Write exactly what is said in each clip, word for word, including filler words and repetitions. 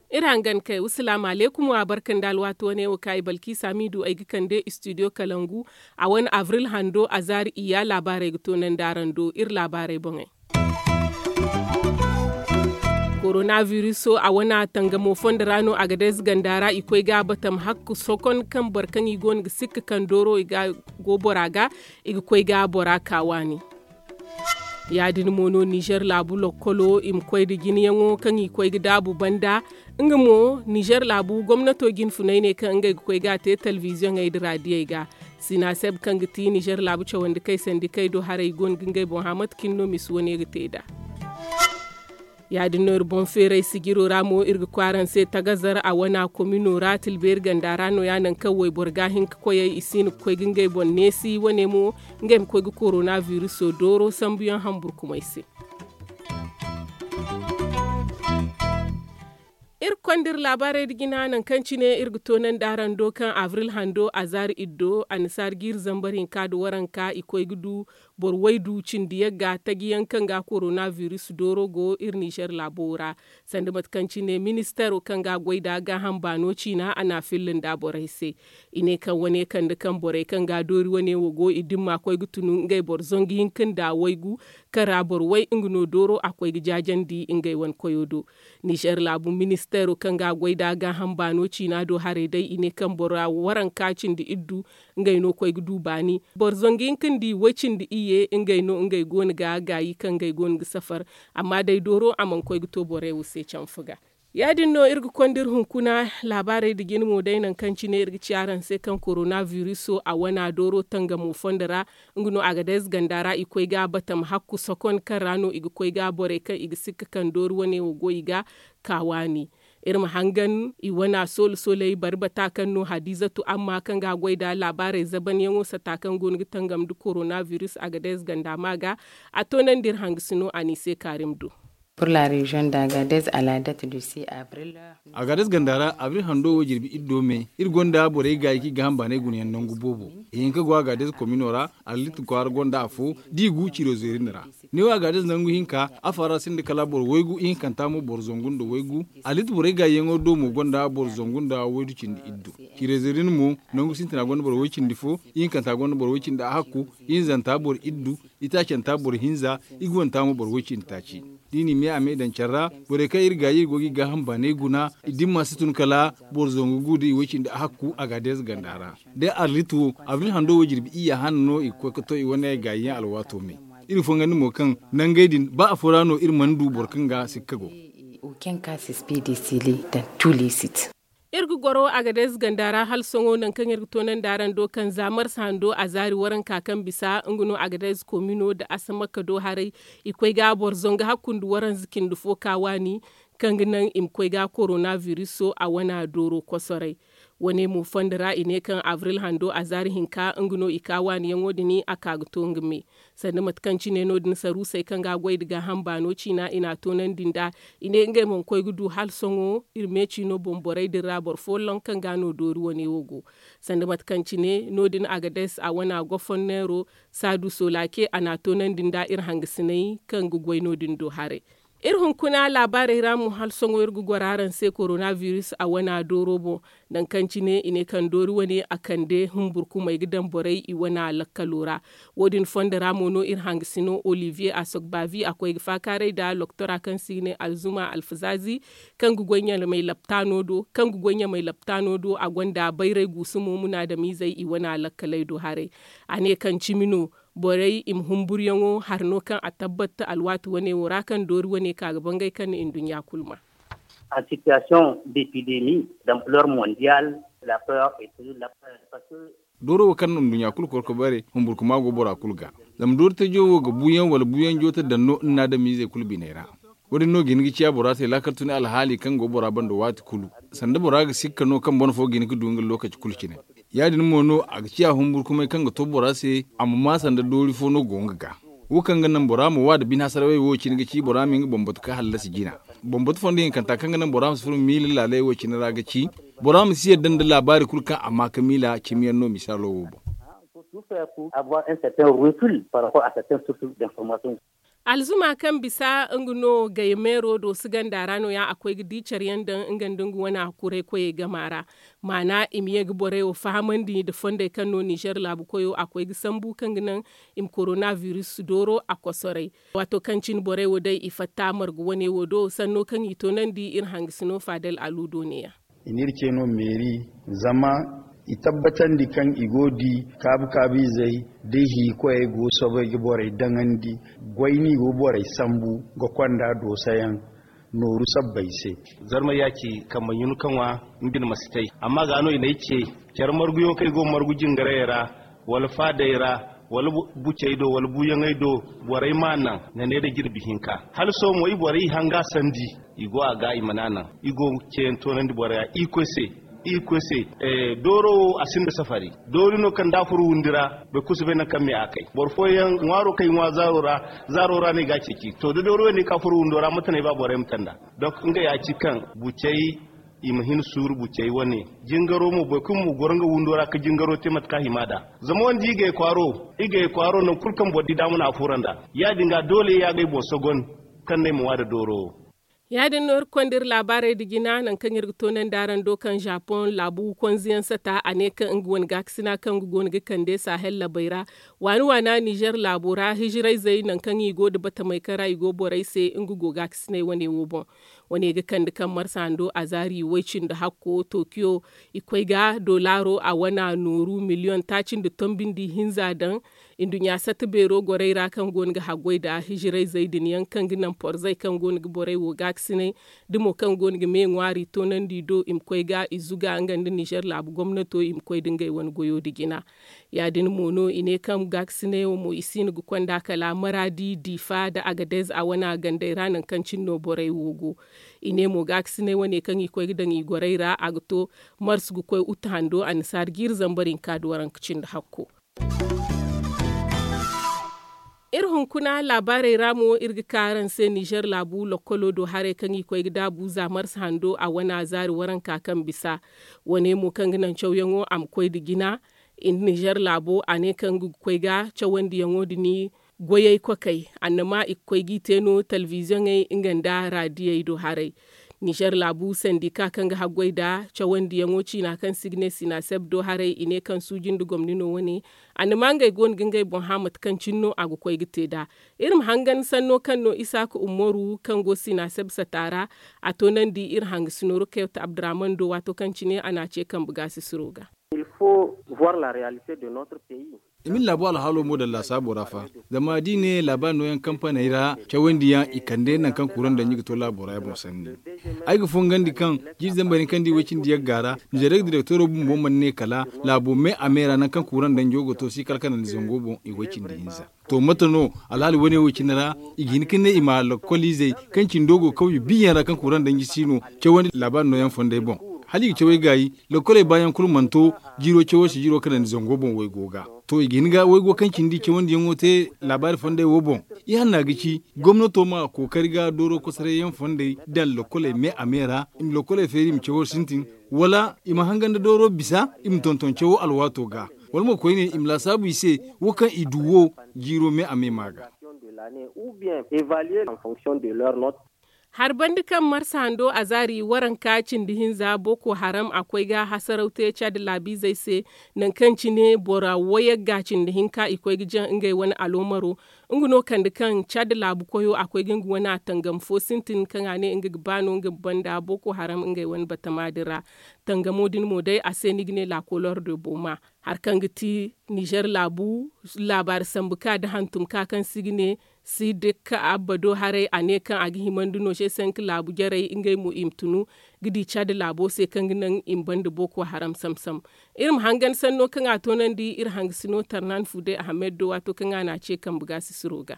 Iri hangan kay wa salaamu alaykum wa barka nda alwaati wane wo kaŋ ay balkiisa m'i du ay ga kande istidiyo kalangu. A wane abril hando a zaari iyya laabaarey ga toonandi araŋ do iri laabaarey boŋey. Korona biriso a wane tangamo fondo ra no a ga day za ganda ra i koy ga a batam hakku sokon kaŋ boro kaŋ i go no ga sikka kaŋ dooro i ga go bora ga i ga koy ga bora ka waani. Ya- din mo no nizer laabu lokkolo i ma koy nda jinayaŋo kaŋ i koy ga daabu banda. Nga mo nizer laabu gomnato jinfunay ne kaŋ ngey ga koy ga a te telebiziyoŋey nda raadiyey ga. Sinaseb kaŋ ga ti nizer laabu cawandi kay sandi kay do haray go no ga ngey boŋ hã mate cine no misa wane ga te nd'a. Ya- din no iri boŋ feeray sijiro ra mo iri ga koy araŋ se tagazar a wana komino ra tilbeeri ganda ra no- ya nangu kaŋ wayboro ga hin ga koyey i si hin ga koy ga ngey boŋ neesi wane mo ngey ma koy ga korona biriso dooro sambuyaŋ hamburkumey se. Iri ga konda iri laabaarey nda jina nangu kaŋ cine iri ga toonandi araŋ do kaŋ abril hando a zaari iddo annasaara jiiri zambar hinka nda waranka i koy ga du boro waydu cindi yagga taji yaŋ kaŋ ga korona biris dooro go iri nizer laabo ra. Sanda mate kaŋ cine ministaro kaŋ ga goy nda gaaham baano ciina a n'a filla nda borey se. I ne kaŋ wane kande kaŋ borey kaŋ ga doori wane wo go i dimma koy ga tunu ngey boro zangu hinka nda waygu kaŋ ra boro way nga no dooro a koy ga jaajandi ngey wane koyo do. Nizer laabu ministeero kaŋ ga a goy nda gaaham baano ciina do haray day i ne kaŋ bora waranka cindi iddu ngey no koy ga du baani. Boro zangu hinka nda i way cindi iyye ngey no ngey go no ga gaayi kaŋ ngey go no ga safar. Amma day dooro a mana koy ga to borey wo se canfa ga. Ya- din no iri ga konda iri hunkuna laabaarey nda jina mo day nangu kaŋ cine iri ga ci araŋ se kaŋ korona biriso a wana dooro tangamo fondo ra. Nga no a ga day za ganda ra i koy ga a batam hakku sokon kaŋ ra no i ga koy ga borey kaŋ i ga sikka kaŋ doori wane wo go i ga ka waani. Iri ma hangan i wana soolu sooley bari bata kaŋ no hadiizatu amma kaŋ ga a goy nda laabaarey zabanyaŋo sata kaŋ go no ga tangam nda korona biris a ga day za ganda ma ga. A toonandi iri hangasino a n'i se kaarim do. Pour la reziyoŋ da gadez a la date du six abril. Agades ganda ra abril hando wo jirbi iddo me iri gonda borey gaayi kaŋ i ga hamba ne gunayaŋ nangu boobo. Ihinka go agades komino ra, arlit kwaara gonda afo da i gu cirezerin ra. Neewo agades nangu hinka, afa ra sinda kala boro waygu ihinkanta mo boro zangu nda waygu. Arlit borey gaayiyaŋo do mo gonda boro zangu nda waydu cindi iddu. Cirezerin mo, nangu sintina gonda boro way cindi fo, ihinkanta gonda boro way cindi ahakku, ihinzanta boro iddu, itaacanta boro hinza, iguwanta mo boro way cindi taaci. Da i n'i me a me daŋ care ra, borey kaŋ iri gaayi iri go ga i gaaham baanay guna. I dimma si tun kala boro zangu gu da i way cindi ahakku agades ganda ra. Day arlit wo, abril hando wo jirbi iyya hane no i ga koy ga to i wane gaayiyaŋ alwaato me. Iri fongandi mo kaŋ nangey din ba afo ra no iri mana du boro kaŋ ga sikka go. Iri ga goro agades ganda ra hala sohõ nangu kaŋ iri ga toonandi araŋ do kaŋ za marsa hando a zaari waranka kaŋ bisa nga no agades komino nda asamakka do haray. I koy ga boro zangu hakku nda waranza cindi fo ka waani kaŋ ga naŋ i ma koy ga korona biriso a wana dooro kosoray. Wane mo fondo ra i ne kaŋ abril hando a zaari hinka nga no i ka waaniyaŋo din a ka ga to nga me. Sanda mate kaŋ cine no- din saruusey kaŋ ga a goy nda gaaham baano ciina i n'a toonandi nd'a. I ne ngey mana koy ga du hala sohõ iri me ciino boŋ borey din ra boro folloŋ kaŋ ga no doori wane wo go. Sanda mate kaŋ cine no- din agades a wana gofonneero saadu solake a n'a toonandi nd'a iri hangasiney kaŋ ga goy no- din do haray. Iri hunkuna laabaarey ra mo hala sohõ iri ga goro araŋ se korona biris a wana dooro boŋ. Nangu kaŋ cine i ne kaŋ doori wane a kande humburkumey ga daŋ borey i wana lakkalo ra. Wo- din fondo ra mo no iri hangasino olivier asogbavi a koy ga faakaaray nda loktora kaŋ se i ga ne alzuma alfazaazi kaŋ ga goy ɲamay laptaano do a gonda bayray guusumo munaadamizey i wana lakkaley do haray. A ne kaŋ cimi no borey i ma humburyaŋo hari no kaŋ a tabbata alwaati wane wo ra kaŋ doori wane ka ga bangay kaŋ na nduɲɲa kulu ma. En situation d'épidémie d'ampleur mondiale, la peur est toujours la peur parce que dooro wo kaŋ no nduɲɲa kulu koro ga bare humburkuma go bora kulu ga. Zama doori tajo wo ga buuyaŋ wala buuyaŋ joota daŋ no nna adamizey kulu biney ra. Wo- din no ga hin ga ciya bora se laakal tun alhaali kaŋ go bora banda waati kulu. Sanda bora ga sikka no kaŋ boro fo ga hin ga du nga lookaci kulu cine. Ya- din mo no a ga ciya humburkumay kaŋ ga to bora se a ma maa sanda doori fo no go nga ga. Wo kaŋ ga naŋ bora ma wa nda bine hasarawey wo cine ga ci bora ma nga bambatu ka hallasi jina. Bambatu fondo hinkanta kaŋ ga naŋ bora ma si furo miila laaley wo cine ra ga ci Bora ma si yadda nda laabaari kulu kaŋ a ma ka miila cimiyaŋ no misaalo wo boŋ. Alzuma kaŋ bisa nga no gaymeero do si ganda ra no- ya a koy ga di care yaŋ daŋ nga nda nga wane a kuray koyey gama ra. Maana i ma ye ga borey wo fahamandi nda fondey kaŋ no nizer laabu koyo a koy ga sambu kaŋ ga naŋ i ma korona biris dooro a kosoray. Waato kaŋ cine borey wo day i fatta margu wane wo do sanno kaŋ i toonandi iri hangasino faadal aluudo ne- ya. I n'iri ce no meeri zama i tabbatandi kaŋ i go ga di kaabu kaabu izey da i hiikoyey go ga soobay ga borey daŋandi goy no i go ga borey sambu ga konda doosayaŋ nooru sabbay se. Zarma yaaci kambe ɲun ka ŋwa nga bine ma si tay. Amma ga no i n'ay ce care marguyaŋo kaŋ i go ga margu jingarayey ra wala faadey ra wala bucey do wala buuyaŋey do borey m'a naŋ. Nane nda jirbi hinka hala sohõ mo i borey i hanga sandi i go a ga i mana naŋ. I go ga ceeyaŋ toonandi borey ra irkoy se. Irkoy se dooro wo a sinda safari. Doori no kaŋ da a furo wundi ra boro kulu si bay nangu kaŋ me a kay boro fooyaŋ ŋwaaro kaŋ i ŋwa zaaro ra zaaro ra no i ga a ceeci to da doori wane ka furo wundo ra mate no ay ba borey ma te nd'a. Donk nga ya ci kaŋ bucey i ma hin suuru bucey wane. Jingaro mo boro kulu ma goro nga windo ra ga jingaro te mate kaŋ a hima nd'a. Zama wane da i ga ay kwaaro i ga ay kwaaro nangu kulu kaŋ boro di daama no a furo nd'a. Ya- din ga doole ya ga ay boŋ sogon kaŋ no ay ma ŋwa nda dooro wo. Ya- din no iri konda iri laabaarey nda jina nangu kaŋ iri ga toonandi araŋ do kaŋ zapoŋ laabu konze yaŋ sata a ne kaŋ nga wane gaakasina kaŋ nga go no ga kande sahel labey ra. Waani waana nizer laabo ra hijirayzey nangu kaŋ i go nda batamey kaŋ ra i go borey se nga go gaakasinay wane wo boŋ. Wane ga kande kaŋ marsa hando azaari way cindi hakko tokiyo i koy ga dolaaro a wana nooru miliyoŋ taaci nda tombi nda ihinza daŋ. Nduɲɲa satta beero gorey ra kaŋ go no ga haggoy nda hijirayzey din yaŋ kaŋ ga naŋ porzey kaŋ go no ga borey wo gaakasinay da mo kaŋ go no ga me ŋwaari toonandi do i ma koy ga i zuga nga nda nizer laabu gomnato i ma koy nda ngey wane goyo nda jina. Ya- din mo no i ne kaŋ gaakasinay wo mo i siino ga konda kala maraadi diifa nda agadez a wana gandey ra nangu kaŋ cine no borey wo go. I ne mo gaakasinay wane kaŋ i koy ga daŋ i gorey ra a ga to marsu ga koy utte hando annasaara jiiri zambar hinka nda waranka cindi hakko. Iri hunkuna laabaarey ra mo iri ga ka araŋ se nizer laabu lokkolo do haray kaŋ i koy ga daabu za marsa hando a wana zaari waranka kaŋ bisa. Wane mo kaŋ ga naŋ cawyaŋo a ma koy nda jina. Nizer laabo a ne kaŋ ga koy ga cawandiyaŋo din goyey kokey annama i ga koy g'i te no talbiziyoŋey nga nda raadiyey do haray. Nizer laabu sandika kaŋ ga haggoy nda cawandiyaŋo ciina kaŋ se i ga ne sinaseb do haray i ne kaŋ suuji nda gomni no wane. Annama ngey go no ga ngey boŋ hã mate kaŋ cine no a ga koy ga te nd'a. Iri ma hangan sanno kaŋ no isaaka ummaru kaŋ go sinaseb sata ra. A toonandi iri hangasino rukayot abdurahman do waato kaŋ cine a n'a ce kambe gaasisiro ga. I ma iri laabu alhaalo mo daŋ laasaabo ra fa. Zama da i ne laabaari nooyaŋ kampaney ra cawandiyaŋ i kande nangu kaŋ kuuraŋ danji ga to laabo ra ya boŋ sanni. Ay ga fongandi kaŋ jiiri zambar hinka nda i way cindi yagga ra nizeerey ga direktoro bumbo mana ne kala laabo me a me ra nangu kaŋ kuuraŋ danjo ga to si kala kanandi zango boŋ i way cindi hinza. To mate no alhaali wane wo cine ra i ga hin ka ne i ma lakkoliizey kaŋ cindo go kawye biyaŋ ra kaŋ kuuraŋ danji si no cawandi laabaari nooyaŋ fondey boŋ. Hala i ga cawey gaayi lakkoley baayaŋ kulu mana to jiiro cawo se jiiro kanandi zango boŋ waygo ga. To i ga hin ga waygo kaŋ cindi cawandiyaŋo te laabaari fondey wo boŋ. Ihanna ga ci gomnato ma kookari ga dooro kosorayyaŋ fondey daŋ lakkoley me a me ra i ma lakkoley feeri i ma cawo sintin wala i ma hangan nda dooro bisa i ma tonton cawo alwaato ga. Wala mo koyne i ma laasaabu i se wo kaŋ i du wo jiiro me a me ma ga. Hari banda kaŋ marsa hando azaari waranka cindi hinza boko haram a koy ga hasaraw te cadi laabiizey se. Nangu kaŋ cine bora wayagga cindi hinka i koy ga jaŋ ngey wane aloomaro. Nga no kande kaŋ cadi laabu koyo a koy ga nga wane a tangam fo sintin kaŋ a ne nga ga ba no nga ga banda boko haram ngey wane batama din ra. Tangamo din mo day a se ni ga ne laakolor de boma. Hari kaŋ ga ti nizer laabu laabaari sambu ka nda hantum ka kaŋ se i ga ne si dikka abba do haray a ne kaŋ a ga himandi no se sanka laabu jarey ngey mo i ma tunu ga di cadi laabo se kaŋ ga naŋ i ma banda boko haram samsam. Iri ma hangan sanno kaŋ a toonandi iri hangasino tarnan fude ahamed do waato kaŋ a n'a ce kambe gaasisiro ga.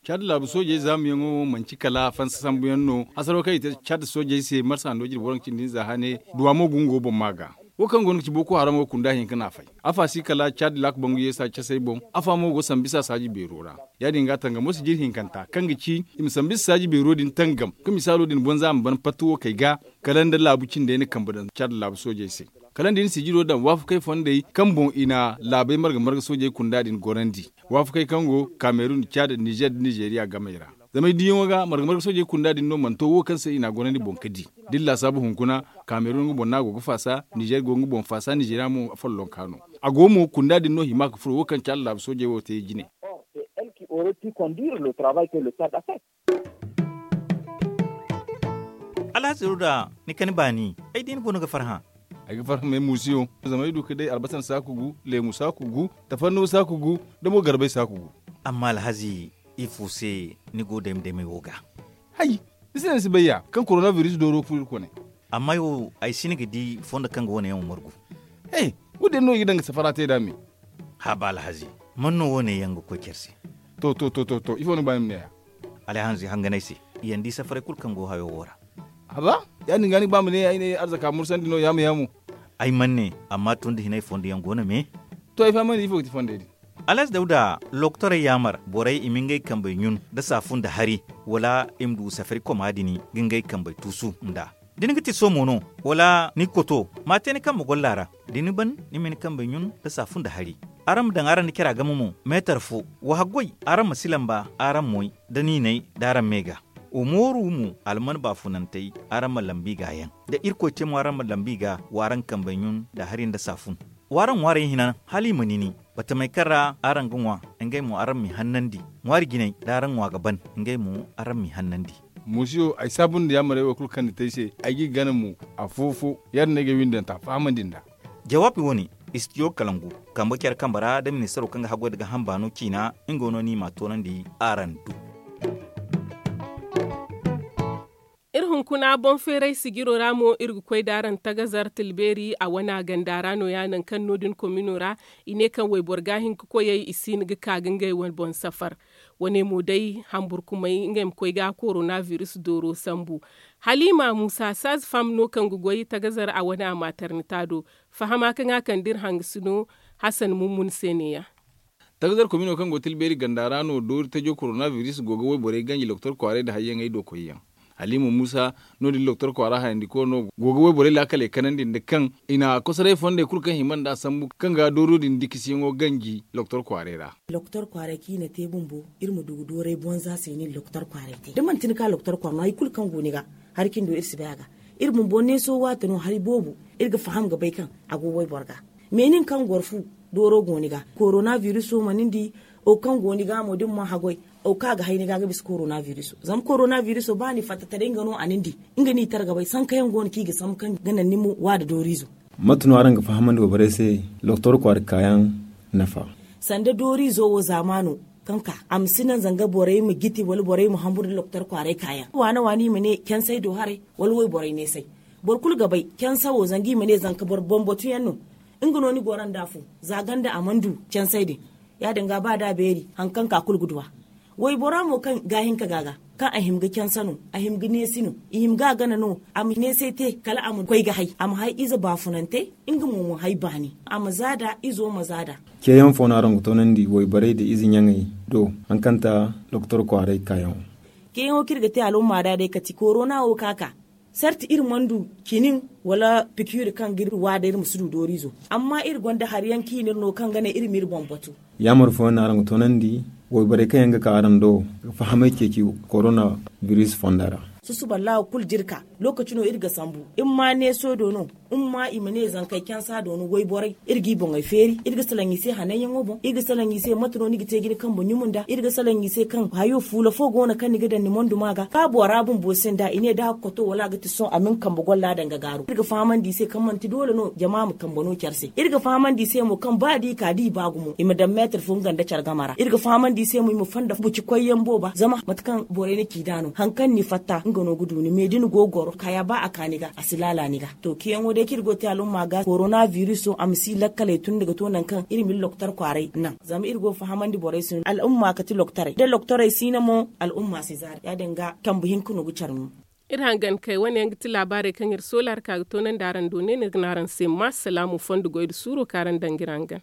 Cadi laabu soojey zaamuyaŋo wo manci kala fansa sambuyaŋ no hasaro kaŋ i te cadi soojey se marsa hando jirbi waranka cindi hinza hane duwa mo gungo boŋ ma ga. Wo kaŋ go no ga ci boko haram wo kunda hinka no a fay. Afa si kala cad laaka bangu yeesa casey boŋ. Afa mo go sambisa saaji beero ra. Ya- din ga tangamo si jiri hinkanta kaŋ ga ci i ma sambisa saaji beero din tangam ka misaalo din bonza a ma ban patta wo kay ga. Kala nda laabu cindey na kambe daŋ cad laabu soojey se. Kala nda i na sijiro daŋ waafakey fondey kaŋ boŋ i na laabey marga marga soojey kunda din gorandi. Waafakey kaŋ go kamerun cad nizer nda nizeriya gamey ra. Zama ay diyaŋo ga marga marga soojey kunda din no mana to wo kaŋ se i n'a gorandi boŋ ka di. Da iri laasaabu hunkuna, kamerun nga boŋ no a go ga faasa, nizer go nga boŋ faasa nizeriya mo follonka no. A go mo kunda din no hima ga furo wo kaŋ cad laabu soojey wo te jine. Alhazi ruda, ni kani baani, ay di ni boŋ no ga farhã. Ay ga farhã me muusiyo, zama ay du ka day albasan saaku gu, leemu saaku gu, tafanno saaku gu, da mo garbay saaku gu. Amma alhazi, ifo se ni go dayma daymay wo ga? Hay, ni se no ni si bay ya kaŋ korona biris dooro furo iri kone. Amma ay wo, ay si ni ga di fondo kaŋ ga wo- ne yaŋ wo margu. He, wo- din no i ga daŋ ga safara te nd'a me. Haaba alhazi, man no wo- ne yaŋ ga koy care se? To to to to to ifo ni ga ba ni ma ne ya? Alhazi hanganay se, i yaŋ di safaray kulu kaŋ go hayo wo ra. Haba, ya- din ga ni ga ba ma ne ya ay ne arzaka mursandi no ya- ma ya- mo. Ay mana ne, amma tun da hinay fondo yaŋ go no me. To ay fahamandi ifo ga ti fondey din? Alhazi dawda, lokotorey yaamar borey i ma ngey kambey ɲun nda saafu nda hari, wala i ma du safari koma din ga ngey kambey tuusu nd'a. Da ni ga ti soomo no, wala ni ga koto, ma a te ni kambe golla ra. Da ni ban, ni ma ni kambey ɲun nda saafu nda hari. Araŋ ma daŋ araŋ nda cara game mo, meetar fo. Wa haggoy, araŋ ma si lamba araŋ moy, da niinay da araŋ me ga. Wa mooru mo alman baafunantey, araŋ ma lambi ga yaŋ. Da irkoy te mo araŋ ma lambi ga, wa araŋ kambey ɲun nda hari nda saafun. Wa araŋ ŋwaarey hina hala i ma nini. Batamey kaŋ ra araŋ ga ŋwa, ngey mo araŋ m'i hannandi. Ŋwaari jinay da araŋ ŋwa ga ban, ngey mo araŋ m'i hannandi. Muusiyo, ay saabu nda yaamarey wo kulu kaŋ ni te ay se, ay g'i gana mo. Afo-fo, ya- din no ay ga ay windanta fahamandi nd'a. Jawaabi wo- ne, istidiyo kalangu, kambe care kambe ra da ministaro kaŋ ga haggoy nda gaaham baano ciina, nga no ni m'a toonandi araŋ du. Iri hunkuna boŋ feeray sijiro ra mo iri ga koy da araŋ tagazar tilbeeri a wana ganda ra no- ya nangu kaŋ no- din komino ra. I ne kaŋ wayboro ga hin ga koyey i si hin ga ka ga ngey wane boŋ safar. Wane mo day hamburkumey ngey ma koy ga korona biris dooro sambu. Halima muusa saazi fam no kaŋ ga goy tagazar a wane a maaternita do. Fahama kaŋ a kande iri hangasino hasan mummun se ne- ya. Tagazar komino kaŋ go tilbeeri ganda ra no doori tajo korona biris go ga wayborey ganji lokotor kwaaray nda hayyaŋey do koyyaŋ. Halima muusa, no- din lokotor kwaara hayandiko no go ga wayborey laakaley kanandi nda kaŋ i na kosoray fondey kulu kaŋ hima nd'a sambu kaŋ ga dooro din dikisiyaŋo ganji lokotor kwaaray ra. Lokotor kwaaray kaŋ i na te bumbo, iri ma du ga dooray bonza se no iri lokotor kwaaray te da manti ni ka lokotor kwaara no hari kulu kaŋ go ni ga, hari cindi wo iri si bay a ga. Iri bumbo neeso waati no hari boobo, iri ga faham ga bay kaŋ a go wayboro ga. Me nin kaŋ goro fu, dooro go ni ga korona biriso ma nin di. Wo kaŋ go ni ga mo da ni mana haggoy, wo kaŋ a ga hay ni ga ga bisa korona biriso zama korona biriso ba ni fatta taray nga no a nin di. Nga no i tara ga bay sankayaŋ go no kaŋ i ga sambu kaŋ ga naŋ ni ma wa nda dooriizo. Mate no araŋ ga fahamandi wayborey se lokotor kwaara kaayaŋ nafa? Sanda dooriizo wo zaamaano kaŋ ka a ma si naŋ zanga borey ma jiti wala borey ma hambur nda lokotor kwaaray kaayaŋ waana waana i ma ne cansey do haray, wala wayborey neesay. Boro kulu ga bay cansa wo zanga i ma ne zanka boro bambatuyaŋ no. Nga no ni goro nd'a fo, za ganda a mana du cansey din. Ya- din ga ba da a beeri hari kaŋ ka kulu ga du a. Waybora mo kaŋ ga hin ka ga ga, kaŋ a hima ga cansa no, a hima ga neesi no, i hima ga a gana no, a ma neesay te kala a ma koy ga hay a ma hay ize baafunante. Nga mo ma hay baani, a ma za nd'a izo ma za nd'a. Ceeyaŋ fo no araŋ ga toonandi wayborey nda ize ɲaŋey do, hankanta lokotor kwaaray kaayaŋo? Ceeyaŋo kaŋ iri ga te alumma ra day kati korona wo ka ka. Sarti iri mana du cinin wala pikiri kaŋ ga iri wa day iri ma si du dooriizo. Amma iri gonda hari yaŋ kaŋ i na iri no kaŋ ga naŋ iri ma iri boŋ batu. Yaamar fooyaŋ no araŋ ga toonandi wayborey kaŋ yaŋ ga ka araŋ do ga fahamay ceeci korona biris fonda ra? Susuba laawa kulu da iri ka, lookaci no iri ga sambu. Iri ma neeso do no, iri ma i ma ne zankey cansa do no wayborey. Iri g'i boŋey feeri, iri ga salaŋ i se hananyaŋo boŋ, iri ga salaŋ i se mate no ni ga te ga ni kambe ɲumu nd'a. Iri ga salaŋ i se kaŋ hayo fuula fo go no kaŋ ni ga daŋ ni mondu ma ga ba bora bumbo sinda i ne da a ga koto wala a ga ti sohõ a ma ni kambe golla daŋ ga gaaru. Iri ga fahamandi i se kaŋ manti doole no jama ma kambe no care se. Iri ga fahamandi i se mo kaŋ ba da i ka da i ba gumo i ma daŋ meetar fo nga nda care game ra. Iri ga fahamandi i se mo i ma fonda buci koyyaŋ booba zama mate kaŋ borey na ci nd'a no hari kaŋ ni fatta nga no ga du ni me da ni go ga goro kaya ba a ka ni ga a si laala ni ga. To, ceeyaŋo day kaŋ iri go ga te alumma ga korona biriso a ma si lakkaley tun ni ga to nangu kaŋ iri ma iri lokotor kwaaray naŋ zama iri go ga fahamandi borey se no alumma kati lokotorey da lokotorey si no mo alumma si zaari ya- din ga kambe hinka no ga care mo. Iri hangan kay wane yaŋ ga ti laabaarey kaŋ iri soola hari ka ga toonandi araŋ do ne no iri ga ne araŋ se ma salaamu fondo goy nda suuro kaŋ araŋ daŋ ga iri hangan.